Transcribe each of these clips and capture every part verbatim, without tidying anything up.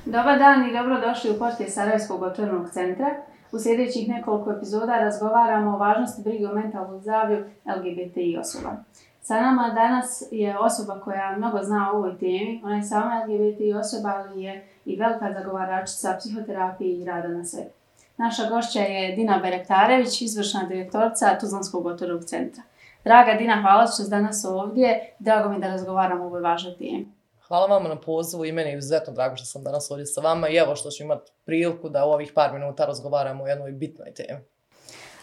Dobar dan i dobrodošli u podcast Sarajevskog otvorenog centra. U sljedećih nekoliko epizoda razgovaramo o važnosti brige o mentalnom zdravlju L G B T I osoba. Sa nama danas je osoba koja mnogo zna o ovoj temi. Ona je sama L G B T I osoba, ali je i velika zagovaračica psihoterapije i rada na sebi. Naša gošća je Dina Berektarević, izvršna direktorica Tuzlanskog otvorenog centra. Draga Dina, hvala što ste danas ovdje. Drago mi da razgovaramo o ovoj važnoj temi. Hvala vama na pozivu i meni je izuzetno drago što sam danas ovdje sa vama i evo što ću imati priliku da u ovih par minuta razgovaramo o jednoj bitnoj temi.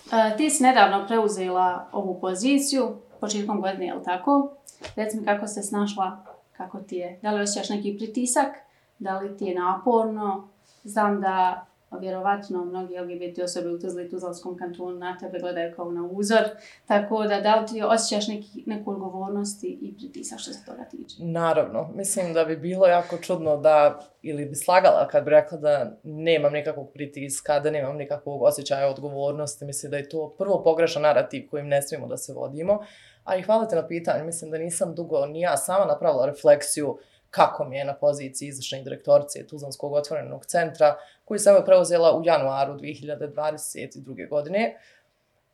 Uh, ti si nedavno preuzela ovu poziciju, početkom godine, je li tako? Reci mi kako se snašla, kako ti je, da li osjećaš neki pritisak, da li ti je naporno? Znam da vjerovatno mnogi L G B T osobe u Tuzli i Tuzlanskom kantonu na tebe gledaju kao na uzor, tako da da li ti osjećaš neki, neku odgovornost i pritisak što se toga tiče? Naravno, mislim da bi bilo jako čudno da, ili bi slagala kad bi rekla da nemam nikakvog pritiska, da nemam nikakvog osjećaja odgovornosti. Mislim da je to prvo pogrešan narativ kojim ne smijemo da se vodimo. A i hvala te na pitanju, mislim da nisam dugo ni ja sama napravila refleksiju kako mi je na poziciji izvršne direktorice Tuzlanskog otvorenog centra, koju sam je preuzela u januaru dvije hiljade dvadeset druge. godine.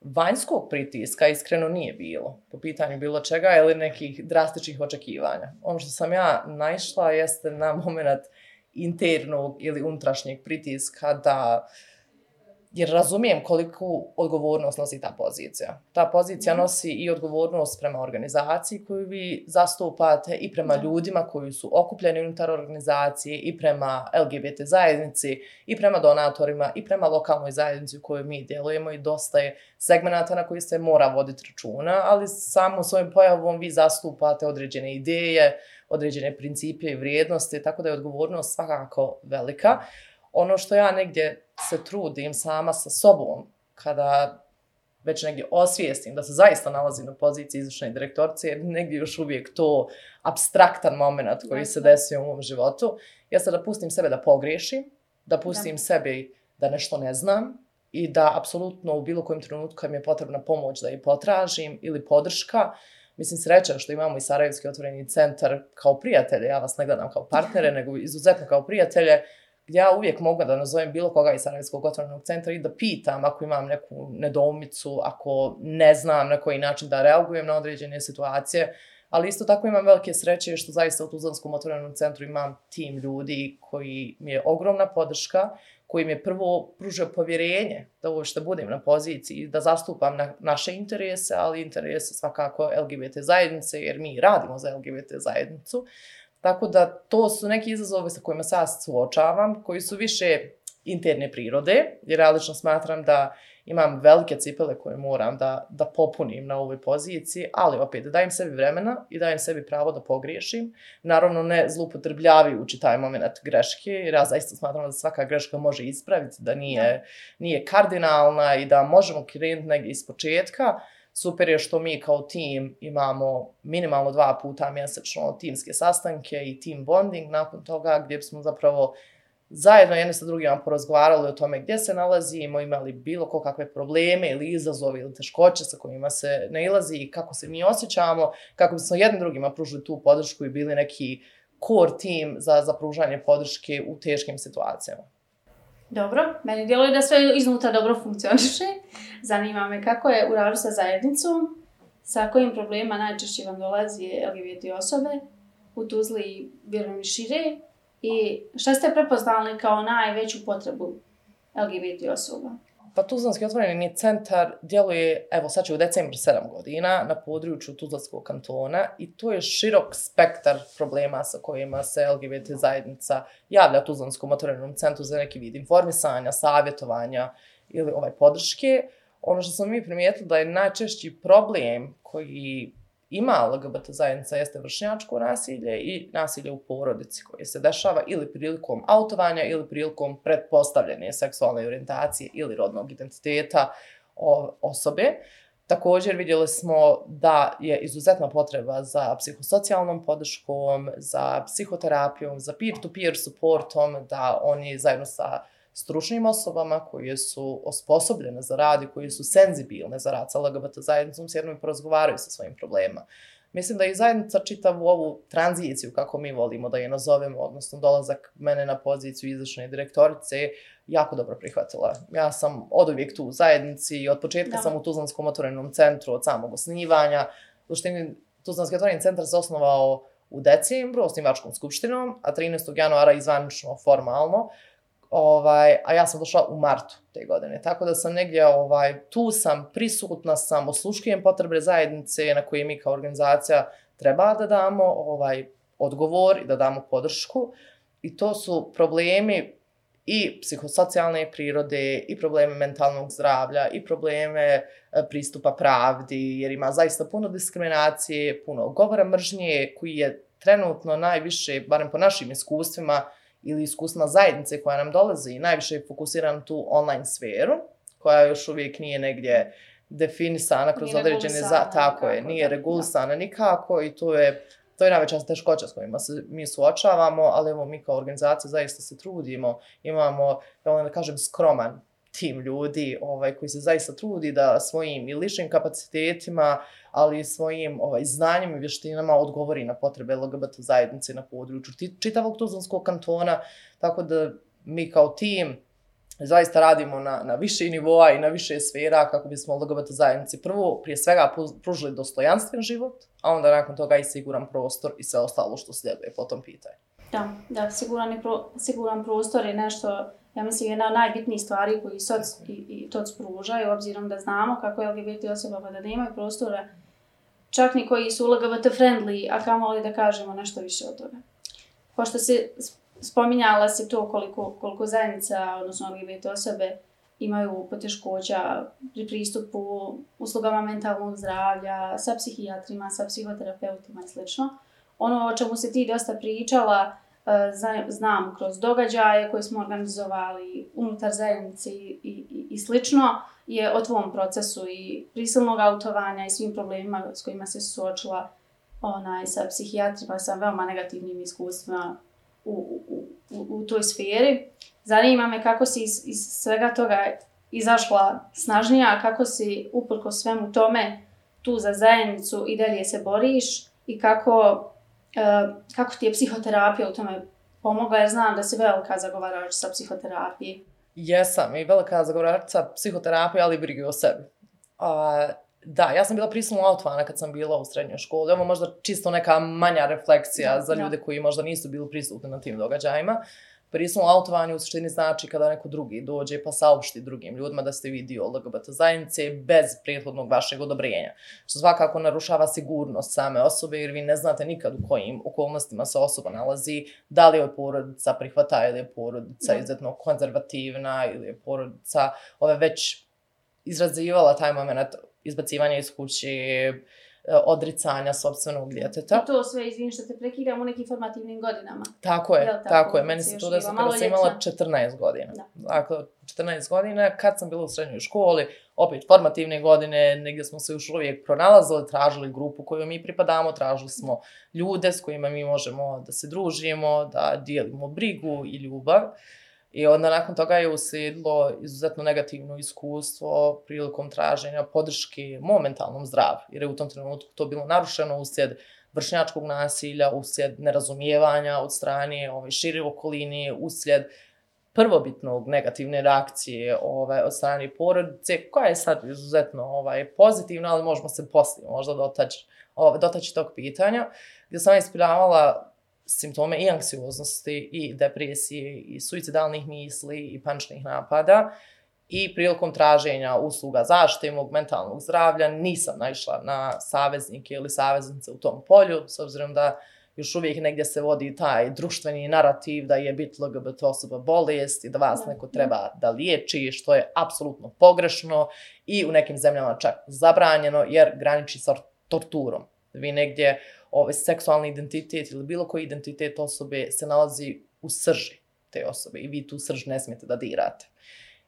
Vanjskog pritiska iskreno nije bilo, po pitanju bilo čega ili nekih drastičnih očekivanja. Ono što sam ja naišla jeste na moment internog ili unutrašnjeg pritiska da, jer razumijem koliko odgovornost nosi ta pozicija. Ta pozicija nosi i odgovornost prema organizaciji koju vi zastupate i prema ljudima koji su okupljeni unutar organizacije i prema L G B T zajednici i prema donatorima i prema lokalnoj zajednici u kojoj mi djelujemo i dosta je segmenata na koji se mora voditi računa, ali samo svojim pojavom vi zastupate određene ideje, određene principe i vrijednosti, tako da je odgovornost svakako velika. Ono što ja negdje se trudim sama sa sobom, kada već negdje osvijestim da se zaista nalazim na poziciji izvršne direktorice, jer negdje još uvijek to apstraktan moment koji se desio u mom životu, jeste da pustim sebe da pogriješim, da pustim da. sebi da nešto ne znam i da apsolutno u bilo kojem trenutku kad mi je potrebna pomoć da je potražim ili podrška. Mislim, sreća što imamo i Sarajevski otvoreni centar kao prijatelje, ja vas ne gledam kao partnere, nego izuzetno kao prijatelje, ja uvijek mogu da nazovem bilo koga iz Sarajevskog otvorenog centra i da pitam ako imam neku nedoumicu, ako ne znam na koji način da reagujem na određene situacije, ali isto tako imam velike sreće što zaista u Tuzlanskom otvorenom centru imam tim ljudi koji mi je ogromna podrška, koji mi je prvo pružio povjerenje da uopšte budem na poziciji, da zastupam na naše interese, ali interese svakako L G B T zajednice, jer mi radimo za L G B T zajednicu. Tako da to su neki izazovi sa kojima se ja suočavam, koji su više interne prirode, jer ja lično smatram da imam velike cipele koje moram da, da popunim na ovoj poziciji, ali opet dajem sebi vremena i dajem sebi pravo da pogriješim. Naravno ne zloupotrebljavajući taj moment greške, jer ja zaista smatram da svaka greška može ispraviti, da nije, nije kardinalna i da možemo krenuti negdje iz početka. Super je što mi kao tim imamo minimalno dva puta mjesečno timske sastanke i team bonding nakon toga gdje smo zapravo zajedno jedni sa drugima porazgovarali o tome gdje se nalazimo, imali bilo kakve probleme ili izazove ili teškoće sa kojima se nailazi i kako se mi osjećamo, kako bismo jednim drugima pružili tu podršku i bili neki core team za, za pružanje podrške u teškim situacijama. Dobro, meni djeluje da sve iznutra dobro funkcioniše. Zanima me kako je u radu sa zajednicom, sa kojim problema najčešće vam dolazi L G B T osobe u Tuzli i vjerujem i šire i šta ste prepoznali kao najveću potrebu L G B T osoba? Pa Tuzlanski otvoreni centar djeluje, evo sad će u decembru sedam godina na području Tuzlanskog kantona i to je širok spektar problema sa kojima se L G B T zajednica javlja Tuzlanskom otvorenom centru za neki vid informisanja, savjetovanja ili ovaj podrške. Ono što smo mi primijetili da je najčešći problem koji ima L G B T zajednica jeste vršnjačko nasilje i nasilje u porodici koje se dešava ili prilikom autovanja ili prilikom pretpostavljene seksualne orijentacije ili rodnog identiteta osobe. Također vidjeli smo da je izuzetna potreba za psihosocijalnom podrškom, za psihoterapijom, za peer-to-peer supportom, da oni zajedno sa stručnim osobama koje su osposobljene za rad i koje su senzibilne za rad sa L G B T zajednicom s jednom i porazgovaraju sa svojim problema. Mislim da i zajednica čitavu ovu tranziciju, kako mi volimo da je nazovemo, odnosno dolazak mene na poziciju izvršne direktorice, jako dobro prihvatila. Ja sam od uvijek tu u zajednici i od početka da. sam u Tuzlanskom otvorenom centru od samog osnivanja. U suštini, Tuzlanski otvoreni centar se osnovao u decembru osnivačkom skupštinom, a trinaestog januara izvanično formalno. Ovaj, a ja sam došla u martu te godine, tako da sam negdje, ovaj, tu sam, prisutna sam, osluškujem potrebe zajednice na koje mi kao organizacija treba da damo ovaj, odgovor i da damo podršku. I to su problemi i psihosocijalne prirode, i probleme mentalnog zdravlja, i probleme pristupa pravdi, jer ima zaista puno diskriminacije, puno govora mržnje, koji je trenutno najviše, barem po našim iskustvima, ili iskustvima zajednice koja nam dolazi i najviše je fokusiran tu online sferu, koja još uvijek nije negdje definisana kroz nije određene... Za, tako je, nije regulisana nikako i to je, to je najveća teškoća s kojima se mi suočavamo, ali evo mi kao organizacija zaista se trudimo, imamo, ja volim da kažem, skroman tim ljudi ovaj, koji se zaista trudi da svojim i ličnim kapacitetima, ali i svojim ovaj, znanjem i vještinama odgovori na potrebe L G B T zajednice na području čitavog Tuzlanskog kantona, tako da mi kao tim zaista radimo na, na više nivoa i na više sfera kako bismo L G B T zajednici prvo prije svega pružili dostojanstven život, a onda nakon toga i siguran prostor i sve ostalo što slijeduje po tom pitanju. Da, da, siguran, pro, siguran prostor je nešto, ja mislim, jedna od najbitnijih stvari koji soc i, i toc pružaju, obzirom da znamo kako je L G B T osoba da nemaju prostora, čak ni koji su L G B T friendly, a kamoli da kažemo nešto više od toga. Pošto se spominjala se to koliko, koliko zajednica, odnosno L G B T osobe, imaju poteškoća pri pristupu uslugama mentalnog zdravlja, sa psihijatrima, sa psihoterapeutima i sl. Ono o čemu se ti dosta pričala, znam kroz događaje koje smo organizovali unutar zajednice i, i, i slično, je o tvom procesu i prisilnog autovanja i svim problemima s kojima se suočila onaj, sa psihijatrima, sa veoma negativnim iskustvima u, u, u, u toj sferi. Zanima me kako si iz, iz svega toga izašla snažnija, kako si uprkos svemu tome tu za zajednicu i dalje se boriš i kako... Uh, kako ti je psihoterapija u tome pomogla, jer znam da si velika zagovarač sa psihoterapije. Jesam i velika zagovaračica psihoterapije, ali i brige o sebi. Uh, da, ja sam bila prisilno autovana kad sam bila u srednjoj školi. Ovo možda čisto neka manja refleksija da, za ljude da. koji možda nisu bili prisutni na tim događajima. Prisilno autovanje u suštini znači kada neko drugi dođe pa saopšti drugim ljudima da ste vi dio L G B T zajednice bez prethodnog vašeg odobrenja. Što svakako narušava sigurnost same osobe jer vi ne znate nikad u kojim okolnostima se osoba nalazi, da li je porodica prihvata ili je porodica izuzetno konzervativna ili je porodica ove već izrazivala taj moment izbacivanja iz kuće, odricanja sopstvenog djeteta. I to sve, izvini što te prekidam, u nekim formativnim godinama. Tako je, tako, tako je. Meni se to desilo kada sam imala četrnaest godina. Da. Dakle, četrnaest godina, kad sam bila u srednjoj školi, opet formativne godine, negdje smo se još uvijek pronalazili, tražili grupu koju mi pripadamo, tražili smo ljude s kojima mi možemo da se družimo, da dijelimo brigu i ljubav. I onda nakon toga je uslijedilo izuzetno negativno iskustvo prilikom traženja podrške mom mentalnom zdravlju, jer je u tom trenutku to bilo narušeno uslijed vršnjačkog nasilja, uslijed nerazumijevanja od strane ove šire okoline, uslijed prvobitnog negativne reakcije ove, od strane porodice, koja je sad izuzetno ovaj, pozitivna, ali možemo se poslije možda dotaći, ove, dotaći tog pitanja, gdje sam ispiljavala simptome i anksioznosti, i depresije, i suicidalnih misli, i paničnih napada. I prilikom traženja usluga zaštite mog mentalnog zdravlja nisam naišla na saveznike ili saveznice u tom polju, s obzirom da još uvijek negdje se vodi taj društveni narativ da je biti L G B T osoba bolest i da vas neko treba da liječi, što je apsolutno pogrešno i u nekim zemljama čak zabranjeno jer graniči sa torturom. Vi negdje ovaj seksualni identitet ili bilo koji identitet osobe se nalazi u srži te osobe i vi tu srž ne smijete da dirate.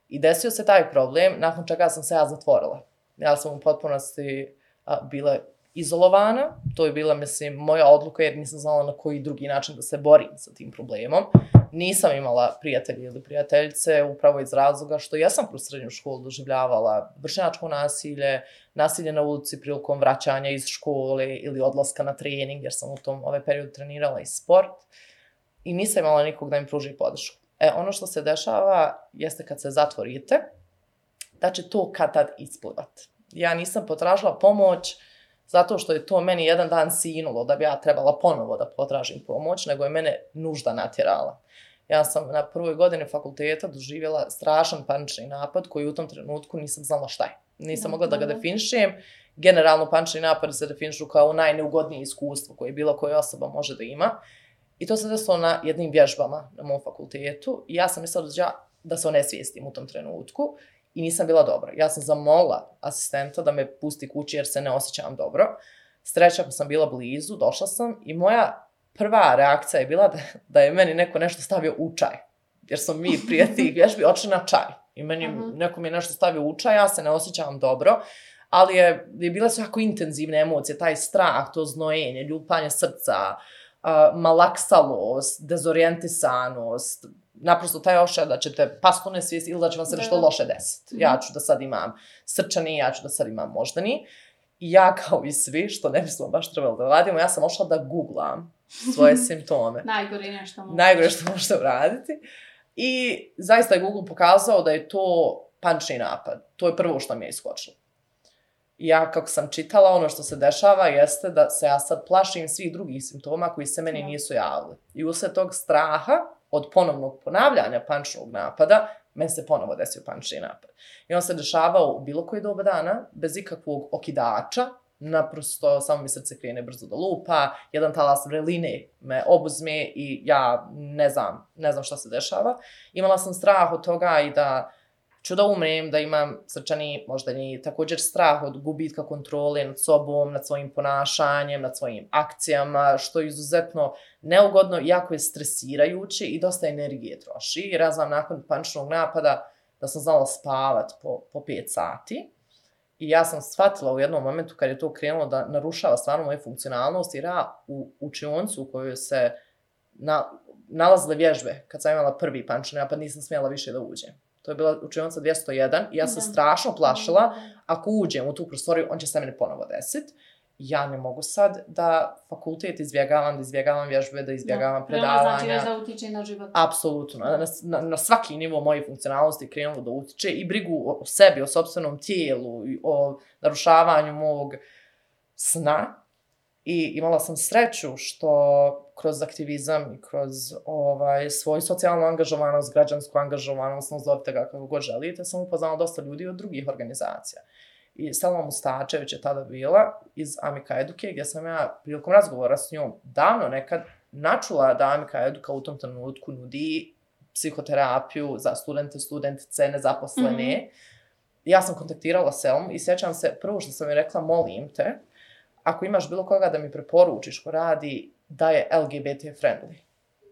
I desio se taj problem, nakon čega sam se ja zatvorila. Ja sam u potpunosti a, bila izolovana. To je bila, mislim, moja odluka jer nisam znala na koji drugi način da se borim sa tim problemom. Nisam imala prijatelje ili prijateljice upravo iz razloga što ja sam kroz srednju školu doživljavala vršnjačko nasilje, nasilje na ulici prilikom vraćanja iz škole ili odlaska na trening, jer sam u tom ovaj period trenirala i sport. I nisam imala nikog da im pruži podršku. E, ono što se dešava jeste kad se zatvorite, da će to kad tad isplivat. Ja nisam potražila pomoć zato što je to meni jedan dan sinulo da bi ja trebala ponovo da potražim pomoć, nego je mene nužda natjerala. Ja sam na prvoj godini fakulteta doživjela strašan panični napad koji u tom trenutku nisam znala šta je. Nisam mogla da ga definišem. Generalno panični napad se definišu kao najneugodnije iskustvo koje bilo koja osoba može da ima. I to se desilo na jednim vježbama na mom fakultetu i ja sam mislila da, ja, da se onesvijestim u tom trenutku i nisam bila dobra. Ja sam zamolila asistenta da me pusti kući jer se ne osjećam dobro. Sreća pa sam bila blizu, došla sam i moja prva reakcija je bila da, da je meni neko nešto stavio u čaj. Jer sam mi prije tih vježbi odšli na čaj. I meni uh-huh. neko mi je nešto stavio u čaj, ja se ne osjećam dobro. Ali je, je bile su jako intenzivne emocije, taj strah, to znojenje, ljupanje srca, Uh, malaksalost, dezorijentisanost, naprosto taj ošaj da ćete pasti u nesvijest ili da će vam se nešto loše desiti. Ja ću da sad imam srčani, ja ću da sad imam moždani. I ja kao i svi, što ne bismo baš trebali da radimo, ja sam ošla da googlam svoje simptome. Najgore nešto možete. Najgore što možete uraditi. I zaista je Google pokazao da je to panični napad. To je prvo što mi je iskočilo. Ja, kako sam čitala, ono što se dešava jeste da se ja sad plašim svih drugih simptoma koji se meni nisu javili. I usled tog straha od ponovnog ponavljanja paničnog napada, meni se ponovo desio panični napad. I on se dešavao u bilo koji doba dana, bez ikakvog okidača, naprosto samo mi srce krene brzo da lupa, jedan talas vreline me obuzme i ja ne znam, ne znam šta se dešava. Imala sam strah od toga i da ću da umrem, da imam srčani moždani, također strah od gubitka kontrole nad sobom, nad svojim ponašanjem, nad svojim akcijama, što je izuzetno neugodno, jako je stresirajuće i dosta energije troši. Jer ja znam nakon paničnog napada da sam znala spavat po, po pet sati i ja sam shvatila u jednom momentu kad je to krenulo da narušava stvarno moju funkcionalnost jer ja u učioncu u kojoj se na, nalazile vježbe kad sam imala prvi panični napad nisam smjela više da uđem. To je bila učionica dvjesto jedan i ja sam da. strašno plašila, ako uđem u tu prostoriju, on će se mene ponovo desiti. Ja ne mogu sad da fakultet izbjegavam, da izbjegavam vježbe, da izbjegavam da. predavanja. Znači već da utiče na život. Apsolutno. Na, na, na svaki nivo moje funkcionalnosti krenulo da utiče i brigu o sebi, o sopstvenom tijelu, o narušavanju mog sna. I imala sam sreću što kroz aktivizam i kroz ovaj, svoju socijalnu angažovanost, građansku angažovanost, nazovite ga kako god želite, sam upoznala dosta ljudi od drugih organizacija. I Selma Mustačević je tada bila iz Amika Eduke, gdje sam ja prilikom razgovora s njom davno nekad načula da Amika Eduka u tom trenutku nudi psihoterapiju za studente, studentice, nezaposlene. Mm-hmm. Ja sam kontaktirala Selmu i sjećam se, prvo što sam mi rekla, molim te, ako imaš bilo koga da mi preporučiš ko radi da je L G B T friendly.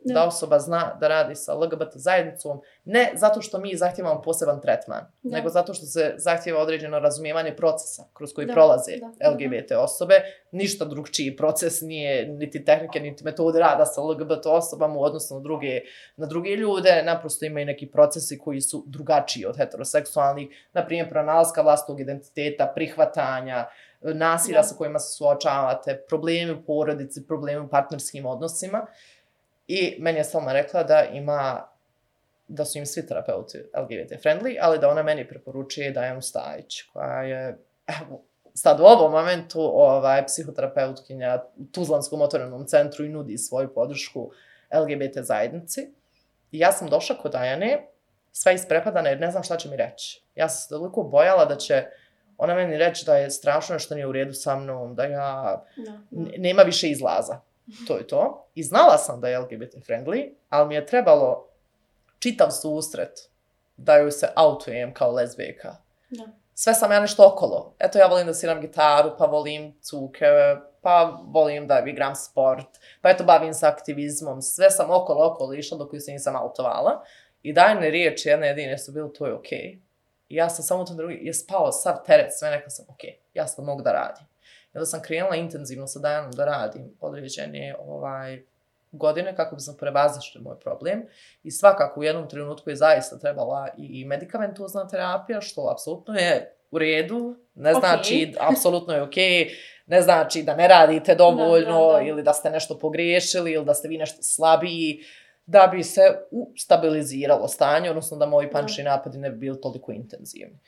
Da. da osoba zna da radi sa L G B T zajednicom, ne zato što mi zahtijevamo poseban tretman, da. nego zato što se zahtijeva određeno razumijevanje procesa kroz koji da. prolaze da. L G B T osobe. Ništa drugčiji proces nije, niti tehnike, niti metode rada sa L G B T osobama u odnosu na druge, na druge ljude. Naprosto imaju neki procesi koji su drugačiji od heteroseksualnih, na primjer pronalaska vlastnog identiteta, prihvatanja, nasilja da. sa kojima se suočavate, problemi u porodici, problemi u partnerskim odnosima. I meni je Selma rekla da ima, da su im svi terapeuti L G B T friendly, ali da ona meni preporučuje Dajanu Stajić, koja je, evo, sad u ovom momentu ovaj, psihoterapeutkinja u Tuzlanskom otvorenom centru i nudi svoju podršku L G B T zajednici. I ja sam došla kod Dajane, sva isprepadana jer ne znam šta će mi reći. Ja sam se toliko bojala da će ona meni reći da je strašno nešto nije u redu sa mnom, da ja da, da. nema više izlaza. To je to. I znala sam da je L G B T friendly, ali mi je trebalo čitav susret da joj se autujem kao lezbijka. Da. Sve sam ja nešto okolo. Eto, ja volim da sviram gitaru, pa volim cuke, pa volim da igram sport, pa eto, bavim se aktivizmom. Sve sam okolo, okolo išla dok ju se nisam autovala. I Dajane riječi, jedne jedine su bile, to je okej. Okay. I ja sam samo to drugi, je spao sav teret, sve nekako sam, okej, okay, ja sad mogu da radim. I onda sam krenula intenzivno sa Dajanom da radim određene ovaj, godine kako bi sam prevazišla moj problem. I svakako u jednom trenutku je zaista trebala i medikamentozna terapija, što apsolutno je u redu, ne znači, okay. apsolutno je okej, okay, ne znači da ne radite dovoljno da, da, da. ili da ste nešto pogriješili ili da ste vi nešto slabiji, da bi se stabiliziralo stanje, odnosno da moji panični napadi ne bi bili toliko intenzivni.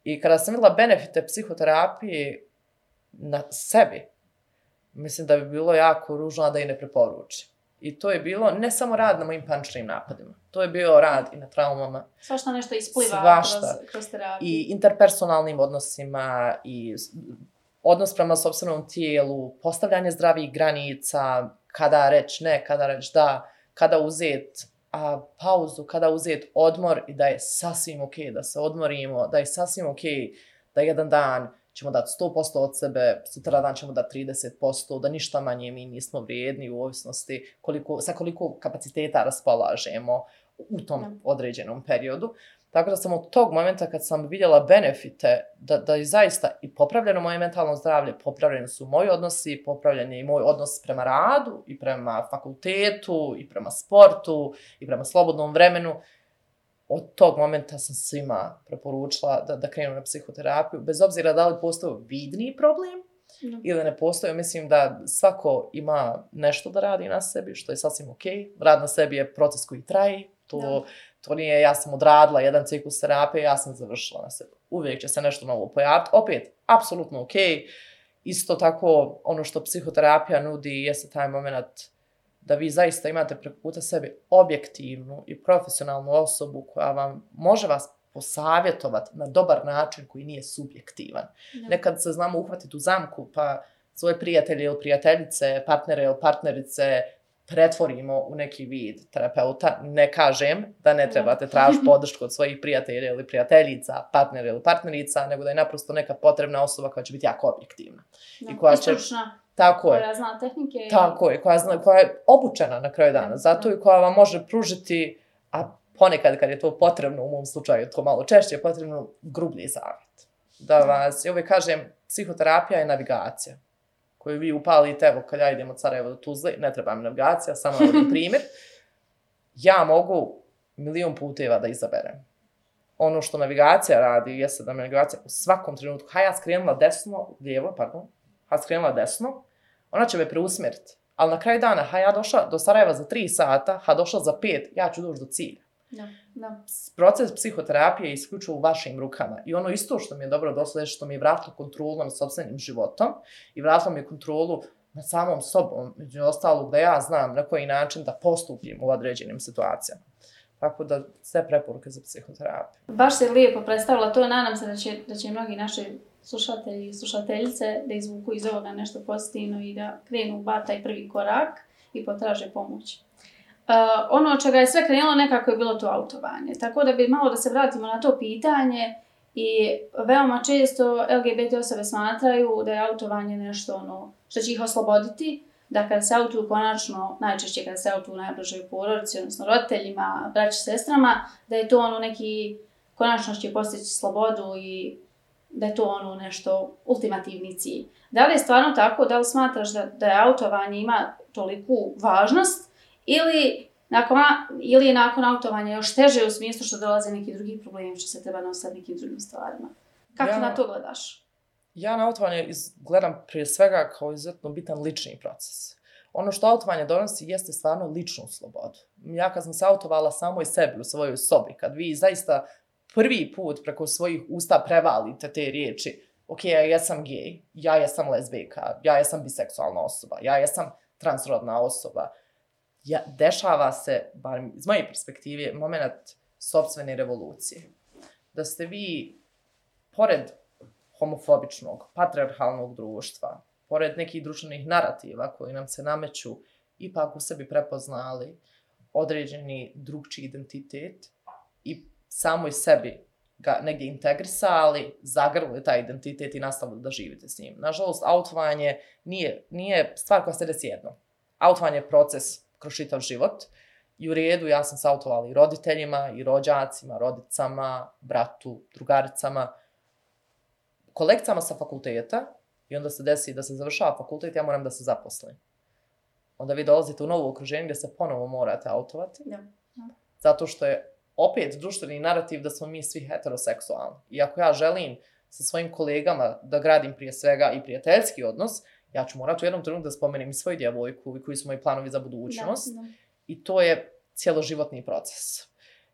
I kada sam vidjela benefite psihoterapije na sebi, mislim da bi bilo jako ružno da i ne preporučim. I to je bilo ne samo rad na mojim paničnim napadima, to je bio rad i na traumama. Svašta nešto ispliva kroz, kroz terapiju. I interpersonalnim odnosima, i odnos prema sopstvenom tijelu, postavljanje zdravih granica, kada reći ne, kada reći da, kada uzeti a, pauzu, kada uzeti odmor i da je sasvim ok da se odmorimo, da je sasvim ok da jedan dan ćemo dati sto posto od sebe, sutra dan ćemo dati trideset posto, da ništa manje mi nismo vrijedni u ovisnosti koliko, sa koliko kapaciteta raspolažemo u tom određenom periodu. Tako da sam od tog momenta kad sam vidjela benefite, da, da je zaista i popravljeno moje mentalno zdravlje, popravljeni su moji odnosi, popravljen je i moj odnos prema radu, i prema fakultetu, i prema sportu, i prema slobodnom vremenu. Od tog momenta sam svima preporučila da, da krenu na psihoterapiju, bez obzira da li postoji vidni problem no. ili ne postoji. Mislim da svako ima nešto da radi na sebi, što je sasvim ok. Rad na sebi je proces koji traje. To, no. to nije ja sam odradila jedan ciklus terapije, ja sam završila na sebi. Uvijek će se nešto novo pojaviti. Opet, apsolutno ok. Isto tako, ono što psihoterapija nudi jeste taj moment da vi zaista imate preko puta sebi objektivnu i profesionalnu osobu koja vam može vas posavjetovati na dobar način koji nije subjektivan. No. Nekad se znamo uhvatiti u zamku pa svoje prijatelje ili prijateljice, partnere ili partnerice pretvorimo u neki vid terapeuta. Ne kažem da ne trebate tražiti podršku od svojih prijatelja ili prijateljica, partnera ili partnerica, nego da je naprosto neka potrebna osoba koja će biti jako objektivna. No. I koja će... Tako koja je. zna tehnike. I... Tako je, koja, zna, koja je obučena na kraju dana. Zato i koja vam može pružiti, a ponekad kad je to potrebno, u mom slučaju to malo češće, je potrebno grublji savjet. Da vas, ja uvijek kažem, psihoterapija je navigacija koju vi upalite, evo kad ja idem od Sarajeva do Tuzle, ne treba mi navigacija, samo navodim primjer. Ja mogu milion puteva da izaberem. Ono što navigacija radi, jeste da navigacija u svakom trenutku, ha ja skrenula desno, lijevo, pardon, ha skrenula desno, ona će me preusmjeriti. Ali na kraju dana, ha ja došla do Sarajeva za tri sata, ha došla za pet, ja ću doći do cilja. Da, da. Proces psihoterapije je isključivo u vašim rukama. I ono isto što mi je dobro došlo je što mi je vratilo kontrolu nad sopstvenim životom i vratilo mi je kontrolu nad samom sobom, među ostalog da ja znam na koji način da postupim u određenim situacijama. Tako da sve preporuke za psihoterapiju. Baš se lijepo predstavila to, nadam se da će, da će mnogi naši slušatelji i slušateljice da izvuku iz ovoga nešto pozitivno i da krenu bar taj prvi korak i potraže pomoć. Uh, ono od čega je sve krenulo nekako je bilo to autovanje. Tako da bi malo da se vratimo na to pitanje i veoma često L G B T osobe smatraju da je autovanje nešto ono što će ih osloboditi, da kada se autuju konačno, najčešće kada se autuju najbližoj porodici, odnosno roditeljima, braći, sestrama, da je to ono neki, konačno će postići slobodu i da je to ono nešto ultimativni cilj. Da li je stvarno tako, da li smatraš da, da je autovanje ima toliku važnost ili, nakon, ili je nakon autovanja još teže u smislu što dolaze neki drugi problemi, što se treba nositi nekim drugim stvarima? Kako ja, na to gledaš? Ja na autovanje gledam prije svega kao izuzetno bitan lični proces. Ono što autovanje donosi jeste stvarno ličnu slobodu. Ja kad sam se autovala samo i sebi u svojoj sobi, kad vi zaista prvi put preko svojih usta prevalite te riječi, ok, ja jesam gej, ja jesam lezbijka, ja jesam biseksualna osoba, ja jesam transrodna osoba, ja, dešava se, bar iz moje perspektive, moment sopstvene revolucije. Da ste vi, pored homofobičnog, patriarhalnog društva, pored nekih društvenih narativa koji nam se nameću, ipak u sebi prepoznali određeni drugčiji identitet i samoj sebi ga negdje integrisali, zagrlili taj identitet i nastavili da živite s njim. Nažalost, autovanje nije, nije stvar koja se desi jednom. Autovanje je proces kroz čitav život i u redu ja sam se autovala i roditeljima, i rođacima, rodicama, bratu, drugaricama, kolegicama sa fakulteta i onda se desi da se završava fakultet, ja moram da se zaposlim. Onda vi dolazite u novo okruženje gdje se ponovo morate autovati. Da. Da. Zato što je opet društveni narativ da smo mi svi heteroseksualni. I ako ja želim sa svojim kolegama da gradim prije svega i prijateljski odnos, ja ću morati u jednom trenutku da spomenem i svoju djevojku i koji su moji planovi za budućnost. Da, da. I to je cjeloživotni proces.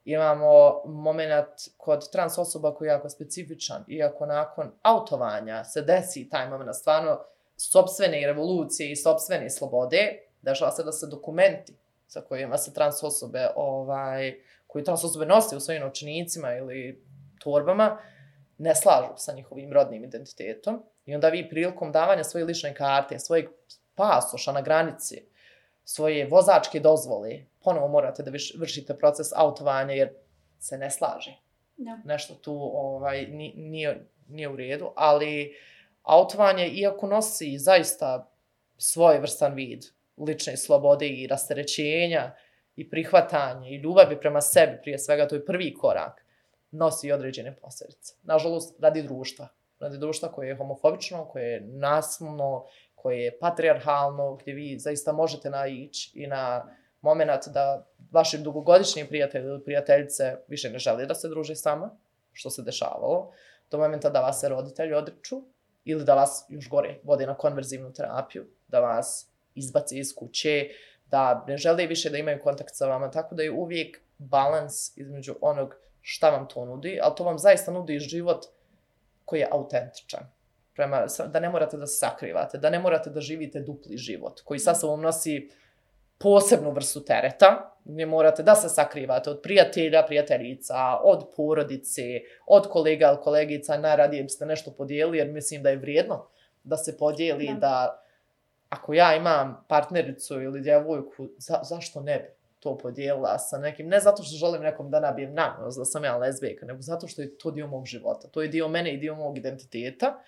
Imamo moment kod trans osoba koji je jako specifičan, iako nakon autovanja se desi taj moment stvarno sopstvene revolucije i sopstvene slobode, dešava se da se dokumenti sa kojima se trans osobe, ovaj, koji trans osobe nose u svojim novčanicima ili torbama, ne slažu sa njihovim rodnim identitetom. I onda vi prilikom davanja svoje lične karte, svojeg pasoša na granici, svoje vozačke dozvole, ponovo morate da vršite proces autovanja jer se ne slaže. Da. Nešto tu ovaj, nije, nije u redu, ali autovanje, iako nosi zaista svojevrstan vid lične slobode i rasterećenja i prihvatanja i ljubavi prema sebi, prije svega to je prvi korak, nosi i određene posljedice. Nažalost, radi društva. Radi društva koje je homofobično, koje je nasilno, koje je patrijarhalno, gdje vi zaista možete naići i na moment da vaši dugogodišnji prijatelji ili prijateljice više ne žele da se druže s vama, što se dešavalo, do momenta da vas se roditelji odriču ili da vas još gore vode na konverzivnu terapiju, da vas izbace iz kuće, da ne žele više da imaju kontakt sa vama, tako da je uvijek balans između onog šta vam to nudi, ali to vam zaista nudi život koji je autentičan. Prema, da ne morate da se sakrivate, da ne morate da živite dupli život, koji sa sobom nosi posebnu vrstu tereta, gdje morate da se sakrivate od prijatelja, prijateljica, od porodice, od kolega ili kolegica, najradije biste nešto podijelili, jer mislim da je vrijedno da se podijeli, da, da ako ja imam partnericu ili djevojku, za, zašto ne bi to podijelila sa nekim, ne zato što želim nekom da nabijem nanos, da sam ja lezbijka, nego zato što je to dio mog života, to je dio mene i dio mog identiteta.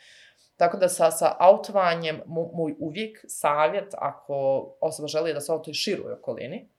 Tako da sa, sa autovanjem, moj uvijek savjet, ako osoba želi da se autoje široj okolini,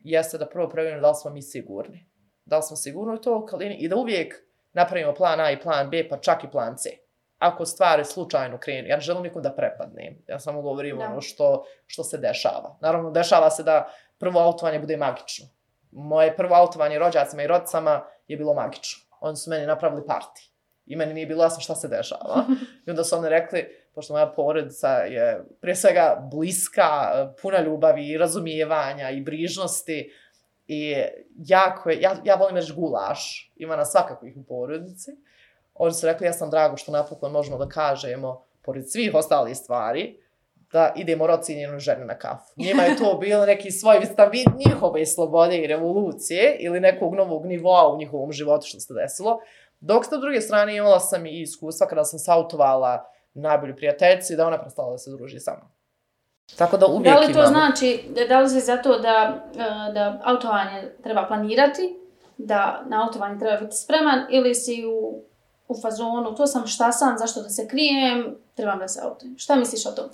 jeste da prvo provjerimo da li smo mi sigurni. Da li smo sigurni u toj okolini i da uvijek napravimo plan A i plan B, pa čak i plan C. Ako stvari slučajno krenu, ja ne želim nikom da prepadnem, ja samo govorim ono što, što se dešava. Naravno, dešava se da prvo autovanje bude magično. Moje prvo autovanje rođacima i rodicama je bilo magično. Oni su meni napravili party. I meni nije bilo jasno šta se dešava. I onda su oni rekli, pošto moja porodica je prije svega bliska, puna ljubavi i razumijevanja i brižnosti. I jako je, ja, ja volim reći gulaš, ima nas svakakvih u porodici. Oni su rekli, ja sam drago što napokon možemo da kažemo, pored svih ostalih stvari, da idemo rocijenjenu ženu na kafu. Njima je to bilo neki svoj vid njihove slobode i revolucije ili nekog novog nivoa u njihovom životu što se desilo. Dok s druge strane imala sam i iskustva kada sam sautovala najbolju prijateljici da ona prestala da se druži sa mnom. Tako da uvijek imamo. Da li to imamo. Znači, da li se zato da, da autovanje treba planirati, da na autovanje treba biti spreman ili si u, u fazonu, to sam šta sam, zašto da se krijem, trebam da se autujem. Šta misliš o tom?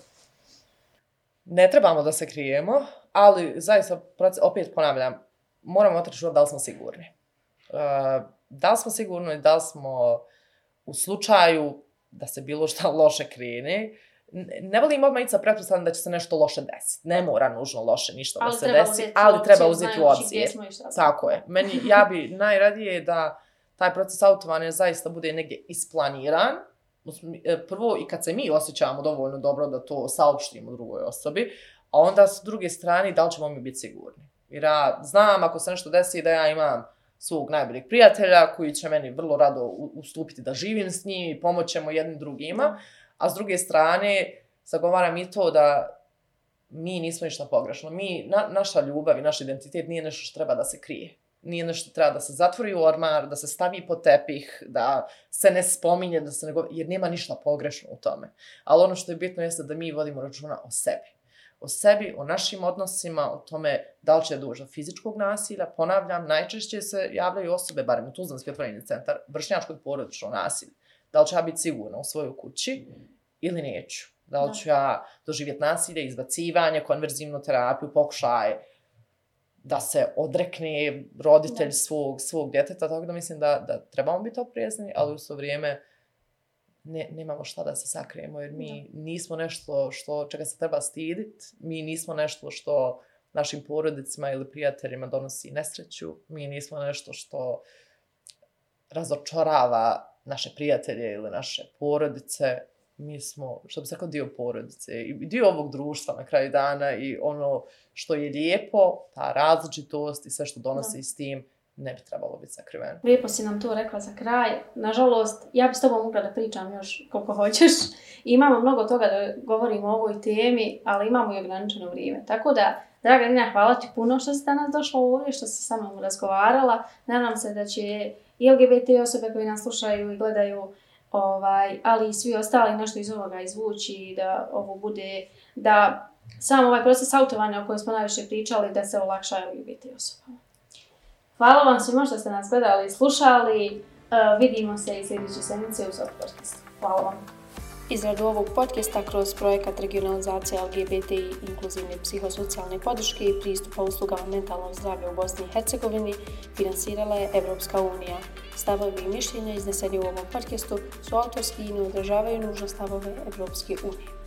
Ne trebamo da se krijemo, ali zaista, opet ponavljam, moramo otići da li smo sigurni. Uh, da li smo sigurni, da li smo u slučaju da se bilo šta loše krene, ne volim odmah ići sa pretpostavljam da će se nešto loše desiti. Ne mora nužno loše ništa ali da se desi, ali treba uzeti u obzir. Tako je. Meni, ja bi najradije da taj proces autovanja zaista bude negdje isplaniran. Prvo i kad se mi osjećamo dovoljno dobro da to saopštimo drugoj osobi, a onda s druge strane da li ćemo mi biti sigurni. Jer ja znam ako se nešto desi da ja imam svog najboljeg prijatelja koji će meni vrlo rado ustupiti da živim s njim i pomoćemo jednim drugima, a s druge strane zagovaram i to da mi nismo ništa pogrešno. Mi, na, naša ljubav i naš identitet nije nešto što treba da se krije. Nije nešto što treba da se zatvori u ormar, da se stavi pod tepih, da se ne spominje, da se ne govori, jer nema ništa pogrešno u tome. Ali ono što je bitno jeste da mi vodimo računa o sebi. O sebi, o našim odnosima, o tome da li će doći do fizičkog nasilja. Ponavljam, najčešće se javljaju osobe, barem u Tuzlanski otvoreni centar, vršnjačkog porodičnog nasilja. Da li ću ja biti sigurna u svojoj kući ili neću? Da li ću ja doživjeti nasilje, izbacivanje, konverzivnu terapiju, pokušaje da se odrekne roditelj svog, svog djeteta, tako da mislim da, da trebamo biti oprezni, ali u svo vrijeme ne, nemamo šta da se sakrijemo, jer mi da. nismo nešto što, čega se treba stiditi, mi nismo nešto što našim porodicima ili prijateljima donosi nesreću, mi nismo nešto što razočarava naše prijatelje ili naše porodice, mi smo, što bi se rekao, dio porodice i dio ovog društva na kraju dana i ono što je lijepo, ta različitost i sve što donosi da. s tim, ne bi trebalo biti sakriveno. Lijepo si nam to rekla za kraj. Nažalost, ja bi s tobom mogla da pričam još koliko hoćeš. Imamo mnogo toga da govorimo o ovoj temi, ali imamo i ograničeno vrijeme. Tako da, draga Nina, hvala ti puno što si danas došla ovdje, što si sa mnom razgovarala. Nadam se da će i L G B T osobe koji nas slušaju i gledaju, ovaj, ali i svi ostali nešto iz ovoga izvući, da ovo bude, da sam ovaj proces autovanja o kojem smo najviše pričali, da se olakša L G B T osobama. Hvala vam svima što ste nas gledali i slušali. Uh, vidimo se i sljedeće sedmice uz ovog podcasta. Hvala vam. Izradu ovog podcasta kroz projekat regionalizacije L G B T i inkluzivne psihosocijalne podrške i pristupa uslugama mentalnog zdravlja u Bosni i Hercegovini finansirala je Evropska unija. Stavovi i mišljenja izneseni u ovom podcastu su autorski i ne odražavaju nužno stavove Evropske unije.